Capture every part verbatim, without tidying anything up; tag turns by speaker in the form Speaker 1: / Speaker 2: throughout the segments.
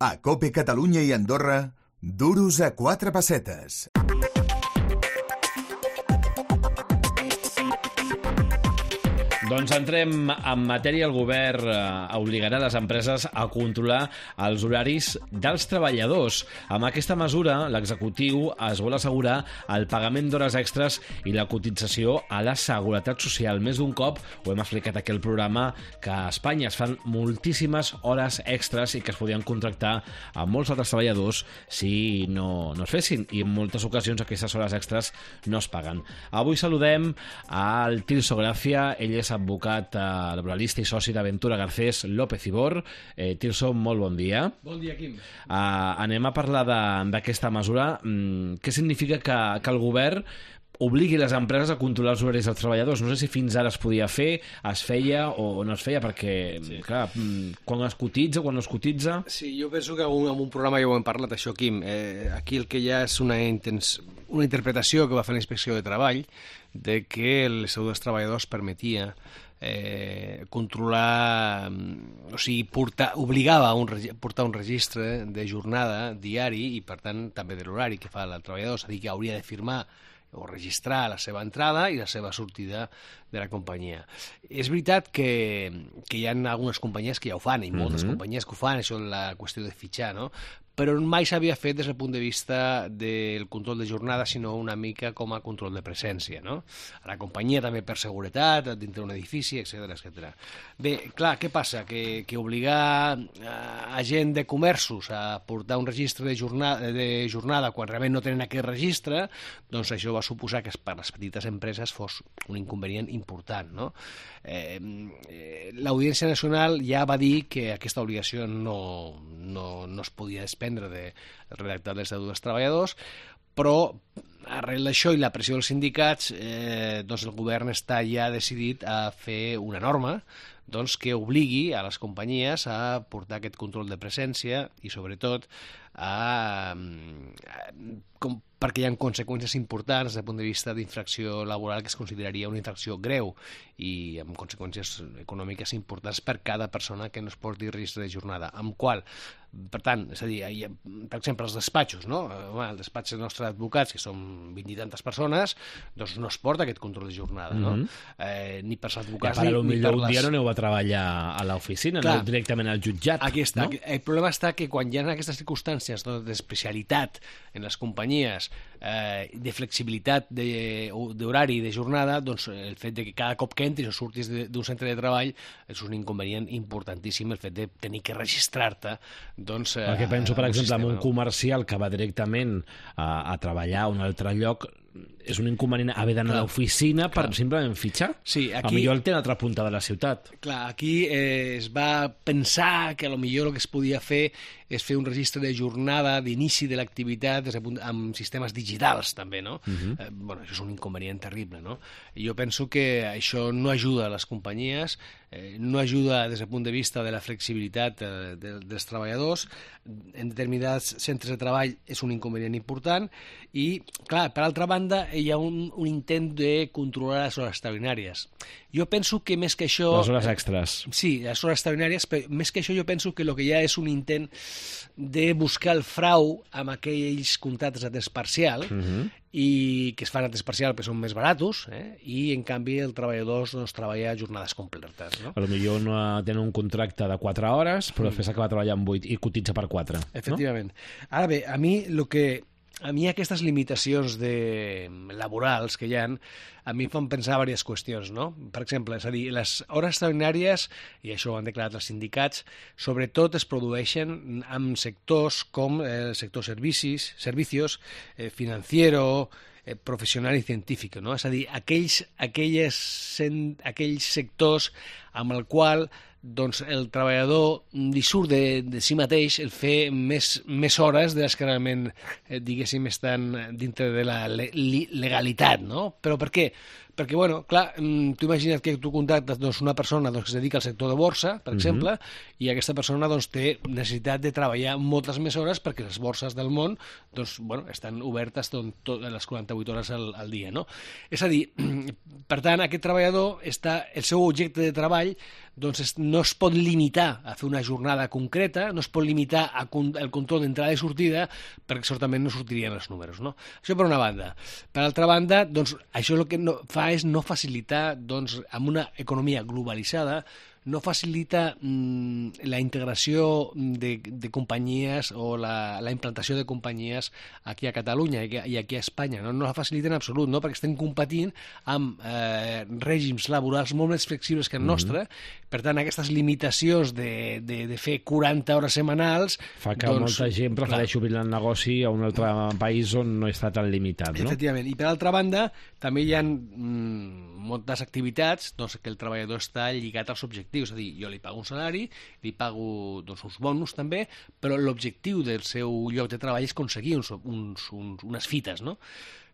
Speaker 1: A COPE Catalunya i Andorra, duros a quatre pessetes.
Speaker 2: Doncs entrem en matèria. El govern obligarà les empreses a controlar els horaris dels treballadors. Amb aquesta mesura, l'executiu es vol assegurar el pagament d'hores extres i la cotització a la Seguretat Social. Més d'un cop ho hem explicat aquí al programa, que a Espanya es fan moltíssimes hores extres i que es podien contractar a molts altres treballadors si no, no es fessin, i en moltes ocasions aquestes hores extres no es paguen. Avui saludem al Tirso Gràcia. Ell és advocat eh, laboralista i soci d'Aventura Garcés López i Bor. Eh, Tirso, molt bon dia.
Speaker 3: Bon dia, Quim.
Speaker 2: Eh, anem a parlar d'aquesta mesura. Mm, què significa que, que el govern obligui les empreses a controlar els horaris dels treballadors? No sé si fins ara es podia fer, es feia o no es feia, perquè, sí. clar, quan es cotitza, quan no es cotitza...
Speaker 3: Sí, jo penso que en un programa ja ho hem parlat, això, Quim. Eh, aquí el que hi ha és una, intens... una interpretació que va fer la Inspecció de Treball de que l'Estatut dels Treballadors permetia eh, controlar, o sigui, portar, obligava a un, portar un registre de jornada diari i, per tant, també de l'horari que fa el treballador, és a dir, que hauria de firmar o registrar la seva entrada i la seva sortida de la companyia. És veritat que, que hi ha algunes companyies que ja ho fan, i moltes mm-hmm. companyies que ho fan, això és la qüestió de fitxar, no? Però mai s'havia fet des del punt de vista del control de jornada, sinó una mica com a control de presència, no? A la companyia també per seguretat, dintre d'un edifici, etcètera, etcètera. Bé, clar, què passa? Que, que obligar a gent de comerços a portar un registre de jornada, de jornada quan realment no tenen aquest registre, doncs això va suposar que per les petites empreses fos un inconvenient important, no? Eh, l'Audiència Nacional ja va dir que aquesta obligació no, no, no es podia desprendre del redactat de l'Estatut dels Treballadors, però arrel d'això i la pressió dels sindicats, eh, doncs el govern està ja decidit a fer una norma doncs, que obligui a les companyies a portar aquest control de presència i, sobretot, a, a, com, perquè hi ha conseqüències importants des del punt de vista d'infracció laboral que es consideraria una infracció greu i amb conseqüències econòmiques importants per cada persona que no es porti registre de jornada. Amb qual, per tant, és a dir, hi ha, per exemple, els despatxos, no? El despatx dels nostres advocats, que són vint i tantes persones, doncs no es porta aquest control de jornada, no? Mm-hmm. eh, ni per als advocats
Speaker 2: ja,
Speaker 3: ni,
Speaker 2: ni per les... Un dia no aneu a treballar a l'oficina, no directament al jutjat.
Speaker 3: Aquí està.
Speaker 2: No?
Speaker 3: El problema està que quan hi ha aquestes circumstàncies d'especialitat en les companyies, eh, de flexibilitat d'horari i de jornada, doncs el fet de que cada cop que entris o surtis d'un centre de treball és un inconvenient importantíssim, el fet de tenir que registrar-te. Doncs, eh,
Speaker 2: Perquè penso, per exemple,
Speaker 3: sistema,
Speaker 2: en un
Speaker 3: no?
Speaker 2: comercial que va directament a, a treballar a un altre lloc, és un inconvenient haver d'anar a l'oficina per simplement fitxar.
Speaker 3: Sí, aquí,
Speaker 2: a millor el té a l'altra punta de la ciutat.
Speaker 3: Clar, aquí eh, es va pensar que a lo millor el que es podia fer és fer un registre de jornada d'inici de l'activitat amb sistemes digitals, també, no? Uh-huh. eh, bueno, això és un inconvenient terrible, no? I jo penso que això no ajuda a les companyies, eh, no ajuda des del punt de vista de la flexibilitat eh, de, dels treballadors. En determinats centres de treball és un inconvenient important i, clar, per altra banda, hi ha un, un intent de controlar les hores extraordinàries. Jo penso que més que això...
Speaker 2: Les hores extres.
Speaker 3: Sí, les hores extraordinàries, però més que això jo penso que el que hi ha és un intent de buscar el frau amb aquells contractes a temps parcial, uh-huh. i que es fan a temps parcial perquè són més baratos, eh? I en canvi el treballador doncs, treballa jornades completes, no?
Speaker 2: A lo millor no tenen un contracte de quatre hores, però després acaba treballant vuit i cotitza per quatre.
Speaker 3: Efectivament. No? Ara bé, a mi el que... A mi aquestes limitacions de... laborals que hi ha, a mi em fan pensar diverses qüestions, no? Per exemple, és a dir, les hores extraordinàries, i això ho han declarat els sindicats, sobretot es produeixen en sectors com el sector servicis, servicios, eh, financiero, eh, professional i científic, no? És a dir, aquells, aquelles, aquells sectors amb el qual doncs el treballador li surt de, de si mateix el fer més, més hores de les que realment, eh, diguéssim, estan dintre de la le legalitat, no? Però per què? perquè, bueno, clar, tu imagina't que tu contactes doncs, una persona doncs, que es dedica al sector de borsa, per exemple, uh-huh. i aquesta persona doncs, té necessitat de treballar moltes més hores perquè les borses del món doncs, bueno, estan obertes doncs, tot, les quaranta-vuit hores al, al dia. No? És a dir, per tant, aquest treballador, està, el seu objecte de treball doncs no es pot limitar a fer una jornada concreta, no es pot limitar al control d'entrada i sortida, perquè certament no sortirien els números. No? Això per una banda. Per altra banda, doncs, això el que no, fa és no facilitar, doncs, amb una economia globalitzada, no facilita mm, la integració de, de companyies o la, la implantació de companyies aquí a Catalunya i aquí a Espanya. No, no la facilita en absolut, no? Perquè estem competint amb eh, règims laborals molt més flexibles que el nostre. Mm-hmm. Per tant, aquestes limitacions de, de, de fer quaranta hores setmanals...
Speaker 2: Fa que doncs, molta gent prefereixi obrir el negoci a un altre país on no està tan limitat, no?
Speaker 3: Efectivament. I per altra banda, també hi ha mm, moltes activitats doncs, que el treballador està lligat als objectius. És a dir, jo li pago un salari, li pago doncs, uns bonus també, però l'objectiu del seu lloc de treball és aconseguir uns, uns, uns, unes fites, no?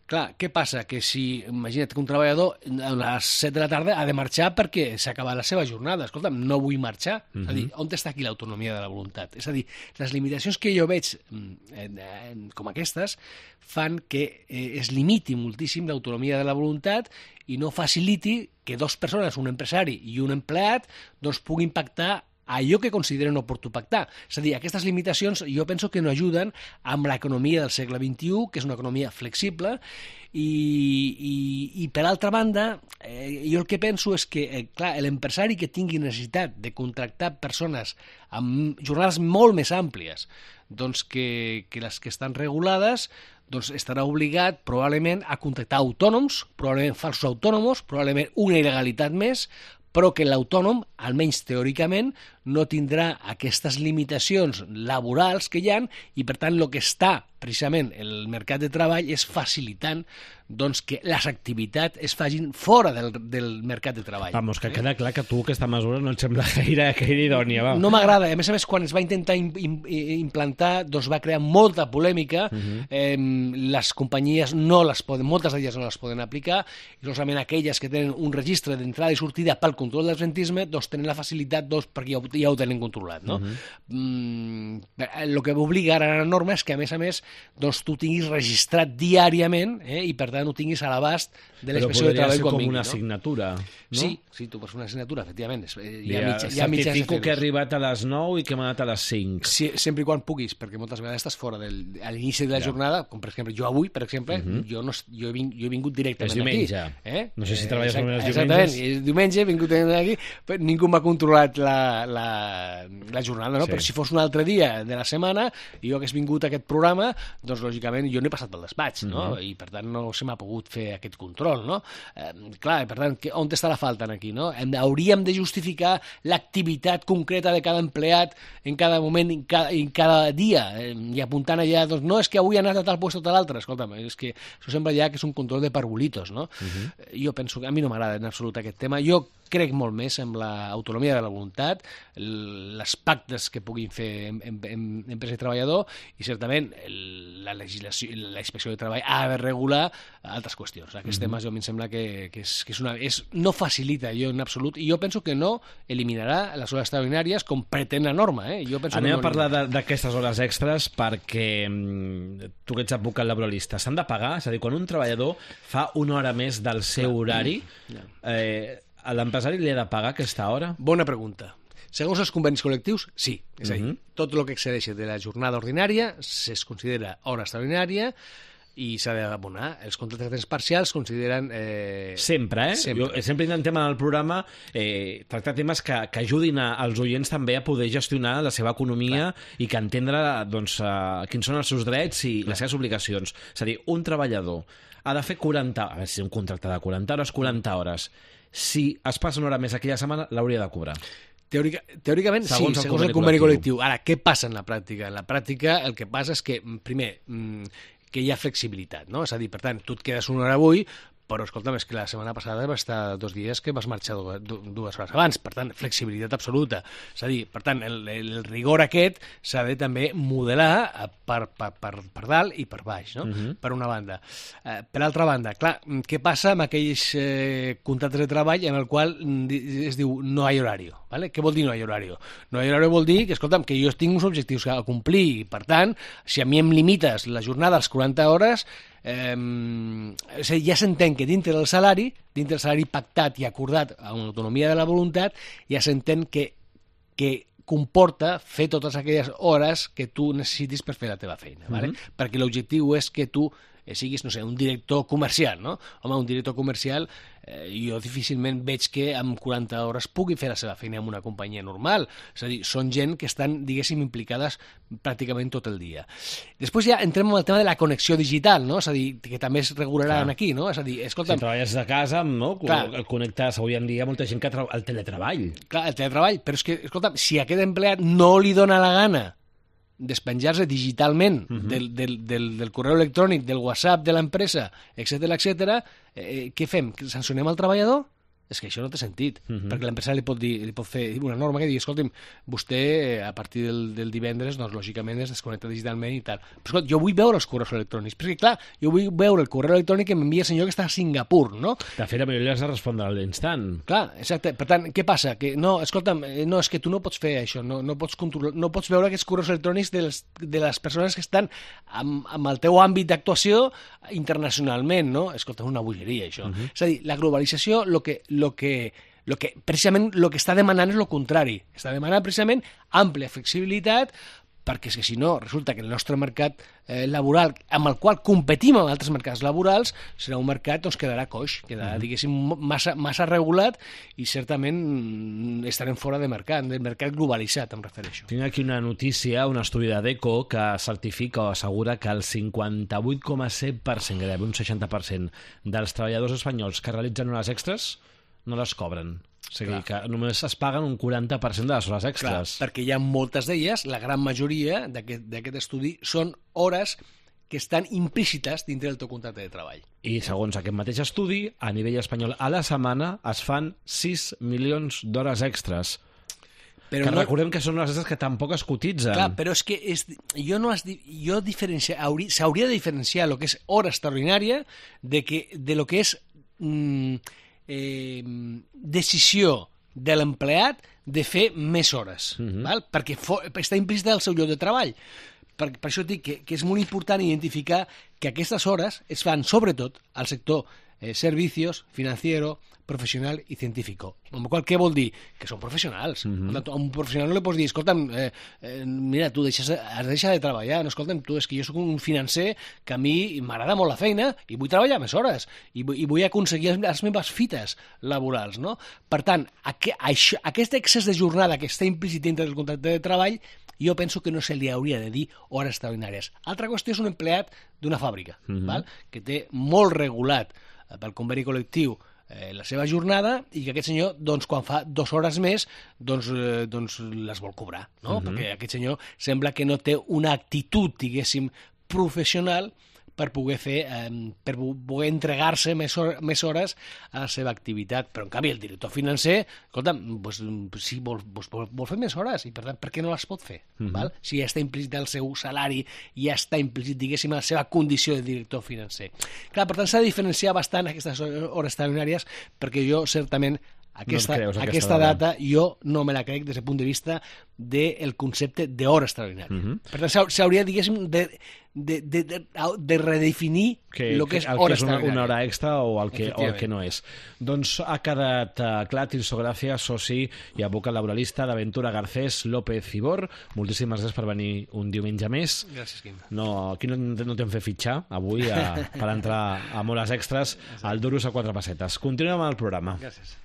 Speaker 3: Clar, què passa? Que si, imagina't que un treballador a les set de la tarda ha de marxar perquè s'ha acabat la seva jornada. Escolta'm, no vull marxar. Uh-huh. És a dir, on està aquí l'autonomia de la voluntat? És a dir, les limitacions que jo veig eh, eh, com aquestes fan que eh, es limiti moltíssim l'autonomia de la voluntat i no faciliti que dues persones, un empresari i un empleat, doncs puguin pactar allò que consideren oportú pactar. És a dir, aquestes limitacions jo penso que no ajuden amb l'economia del segle vint-i-u, que és una economia flexible, i, i, i per altra banda, eh, jo el que penso és que, eh, clar, l'empresari que tingui necessitat de contractar persones amb jornades molt més àmplies doncs que, que les que estan regulades, doncs estarà obligat probablement a contractar autònoms, probablement falsos autònoms, probablement una il·legalitat més, però que l'autònom, almenys teòricament, no tindrà aquestes limitacions laborals que hi ha i, per tant, el que està precisament el mercat de treball és facilitant doncs, que les activitats es facin fora del, del mercat de treball.
Speaker 2: Vamos, que queda clar que tu aquesta mesura no et sembla gaire, gaire idònia. Va.
Speaker 3: No m'agrada. A més a més, quan es va intentar im, im, implantar, doncs va crear molta polèmica. Uh-huh. eh, les companyies no les poden, moltes d'elles no les poden aplicar, i solament aquelles que tenen un registre d'entrada i sortida pel control del rentisme, doncs tenen la facilitat doncs, perquè ja ho, ja ho tenen controlat. No? Uh-huh. mm, el que obliga ara la norma és que, a més a més, doncs, tu tinguis registrat diàriament eh, i, per tant, ho tinguis a l'abast de l'expressió de treball quan vingui.
Speaker 2: Però podria ser com una assignatura, no?
Speaker 3: Sí, sí, tu pots fer una assignatura, efectivament. Hi ha,
Speaker 2: ha,
Speaker 3: mitja, hi ha
Speaker 2: certifico que he arribat a les nou i que m'he anat a les cinc.
Speaker 3: Sí, sempre i quan puguis, perquè moltes vegades estàs fora del, a l'inici de la ja. jornada, com per exemple jo avui, per exemple, uh-huh. jo, no, jo, he ving, jo he vingut directament
Speaker 2: és diumenge.
Speaker 3: Aquí. Eh?
Speaker 2: No sé si treballes
Speaker 3: eh,
Speaker 2: només els
Speaker 3: diumenges. Exactament, és diumenge, he vingut aquí, però ningú m'ha controlat la, la, la jornada, no? Sí. Però si fos un altre dia de la setmana i jo hagués vingut a aquest programa, doncs lògicament jo no he passat pel despatx, no? Uh-huh. I per tant no se m'ha pogut fer aquest control, no? Eh, clar, per tant, que, on està la falta aquí, no? Hem, hauríem de justificar l'activitat concreta de cada empleat en cada moment, en cada, en cada dia, eh, i apuntant allà, doncs no és que avui ha anat a tal lloc o a l'altre, escolta'm, és que això sembla ja que és un control de parvulitos, no? Uh-huh. Jo penso que a mi no m'agrada en absolut aquest tema. Jo crec molt més en l'autonomia de la voluntat, les pactes que puguin fer en, en, en empresa i treballador, i certament la legislació, la inspecció de treball ha de regular altres qüestions. Aquests mm-hmm. temes jo a mi em sembla que, que, és, que és una, és, no facilita jo en absolut, i jo penso que no eliminarà les hores extraordinàries com pretén la norma. Eh? Jo penso
Speaker 2: Anem
Speaker 3: que no
Speaker 2: a parlar d'aquestes hores extres perquè tu que ets advocat laboralista, s'han de pagar? És a dir, quan un treballador fa una hora més del seu horari, eh, a l'empresari li ha de pagar aquesta hora?
Speaker 3: Bona pregunta. Segons els convenis col·lectius, sí. És a dir, uh-huh. tot el que excedeixi de la jornada ordinària es considera hora extraordinària i s'ha d'abonar. Els contractes parcials es consideren... Eh...
Speaker 2: Sempre, eh?
Speaker 3: Sempre.
Speaker 2: Jo sempre intentem en el programa eh, tractar temes que, que ajudin a, als oients també a poder gestionar la seva economia Clar. I que entendre doncs, uh, quins són els seus drets i Clar. Les seves obligacions. És a dir, un treballador ha de fer quaranta... A veure si és un contracte de quaranta hores, quaranta hores. Si es passa una hora més aquella setmana, l'hauria de cobrar.
Speaker 3: Teòrica, teòricament, segons sí, segons el conveni col·lectiu. Ara, què passa en la pràctica? En la pràctica el que passa és que, primer, que hi ha flexibilitat, no? És a dir, per tant, tu et quedes una hora avui, però escolta'm, és que la setmana passada va estar dos dies que vas marxar dues, dues hores abans, per tant, flexibilitat absoluta. És a dir, per tant, el, el rigor aquest s'ha de també modelar per, per, per, per dalt i per baix, no? Uh-huh. Per una banda. Eh, per altra banda, clar, què passa amb aquells eh, contractes de treball en el qual es diu no hi ha horari? ¿Vale? Què vol dir no hi ha horari? No hi ha horari vol dir que, escolta'm, que jo tinc uns objectius a complir i, per tant, si a mi em limites la jornada als quaranta hores, Eh, ja s'entén que dintre del salari, dintre del salari pactat i acordat amb l'autonomia de la voluntat, ja s'entén que, que comporta fer totes aquelles hores que tu necessitis per fer la teva feina, ¿vale? Mm-hmm. Perquè l'objectiu és que tu eh, siguis, no sé, un director comercial, no? Home, un director comercial, eh, jo difícilment veig que amb quaranta hores pugui fer la seva feina en una companyia normal. És a dir, són gent que estan, diguéssim, implicades pràcticament tot el dia. Després ja entrem en el tema de la connexió digital, no? És a dir, que també es regularà aquí, no? És a dir, escolta'm...
Speaker 2: Si treballes de casa, no? El connectes avui en dia molta gent que el teletreball.
Speaker 3: Clar, el teletreball, però és que, escolta'm, si a aquest empleat no li dona la gana despenjar-se digitalment uh-huh. del, del, del, del correu electrònic, del WhatsApp de l'empresa, etcètera, etcètera, eh, què fem? Sancionem el treballador? És que això no té sentit, uh-huh. perquè l'empresari li pot dir, li pot fer una norma que digui, escolti'm, vostè a partir del, del divendres, doncs lògicament es desconnecta digitalment i tal. Però escolta, jo vull veure els correus electrònics, perquè clar, jo vull veure el correu electrònic que m'envia el senyor que està a Singapur, no?
Speaker 2: De fet, a millor li has de respondre a l'instant.
Speaker 3: Clar, exacte. Per tant, què passa? Que no, escolta'm, no, és que tu no pots fer això, no, no, pots, controlar, no pots veure aquests correus electrònics de les, de les persones que estan amb, amb el teu àmbit d'actuació internacionalment, no? Escolta, és una bogeria, això. Uh-huh. És a dir, la globalització, el que, lo que, lo que, precisament el que està demanant és el contrari. Està demanant precisament àmplia flexibilitat, perquè és que si no, resulta que el nostre mercat eh, laboral, amb el qual competim amb altres mercats laborals, serà un mercat que doncs, quedarà coix, quedarà, uh-huh. diguéssim, massa, massa regulat i certament estarem fora de mercat, del mercat globalitzat, em refereixo.
Speaker 2: Tinc aquí una notícia, un estudi de DECO que certifica o assegura que el cinquanta-vuit coma set per cent, gairebé un seixanta per cent dels treballadors espanyols que realitzen hores extres no les cobren. O sigui, clar, que només es paguen un quaranta per cent de les hores extres.
Speaker 3: Clar, perquè hi ha moltes d'elles, la gran majoria d'aquest estudi, són hores que estan implícites dintre del teu contracte de treball.
Speaker 2: I segons aquest mateix estudi, a nivell espanyol a la setmana es fan sis milions d'hores extres. Però que no... recordem que són hores extres que tampoc es cotitzen.
Speaker 3: Clar, però és que és, jo no has, jo diferencia, s'hauria de diferenciar el que és hora extraordinària de, que, de lo que és... Mm, Eh, decisió de l'empleat de fer més hores, uh-huh. val? Perquè for, està implícita al seu lloc de treball. Per, per això dic que, que és molt important identificar que aquestes hores es fan sobretot al sector eh, servicios, financiero, professional i científico. Amb la qual què vol dir? Que són professionals. Uh-huh. A un professional no li pots dir, escolta'm, eh, eh, mira, tu deixes, has de deixar de treballar, no, escolta'm, tu, és que jo sóc un financer que a mi m'agrada molt la feina i vull treballar més hores i, i vull aconseguir les meves fites laborals, no? Per tant, aqu això, aquest excés de jornada que està implícit dintre del contracte de treball, jo penso que no se li hauria de dir hores extraordinàries. Altra qüestió és un empleat d'una fàbrica, uh-huh. val? Que té molt regulat eh, pel conveni col·lectiu eh, la seva jornada i que aquest senyor, doncs, quan fa dues hores més, doncs, eh, doncs les vol cobrar, no? Uh-huh. Perquè aquest senyor sembla que no té una actitud, diguéssim, professional per poder fer, eh, per poder entregar-se més, hor més hores a la seva activitat. Però, en canvi, el director financer, escolta'm, doncs, sí, vol, vol, vol fer més hores i, per tant, per què no les pot fer? Uh-huh. Val? Si ja està implícit el seu salari, ja està implícit, diguéssim, la seva condició de director financer. Clar, per tant, s'ha de diferenciar bastant aquestes hores extraordinàries, perquè jo, certament, Aquesta, no aquesta, aquesta data jo no me la crec des del punt de vista del concepte d'hora extraordinària. Uh-huh. Per tant, s'hauria, diguéssim, de, de, de, de, de redefinir
Speaker 2: que,
Speaker 3: el que és
Speaker 2: el
Speaker 3: hora
Speaker 2: que és una,
Speaker 3: extraordinària.
Speaker 2: una hora extra o el que, o el que no és. Doncs ha quedat uh, clar, Tirso Gràcia, soci i advocat laboralista d'Aventura Garcés López Cibor. Moltíssimes gràcies per venir un diumenge més.
Speaker 3: Gràcies, Quim.
Speaker 2: No, aquí no, no t'hem fet fitxar avui a, per entrar amb hores extres al Duros a quatre pessetes. Continuem amb el programa.
Speaker 3: Gràcies.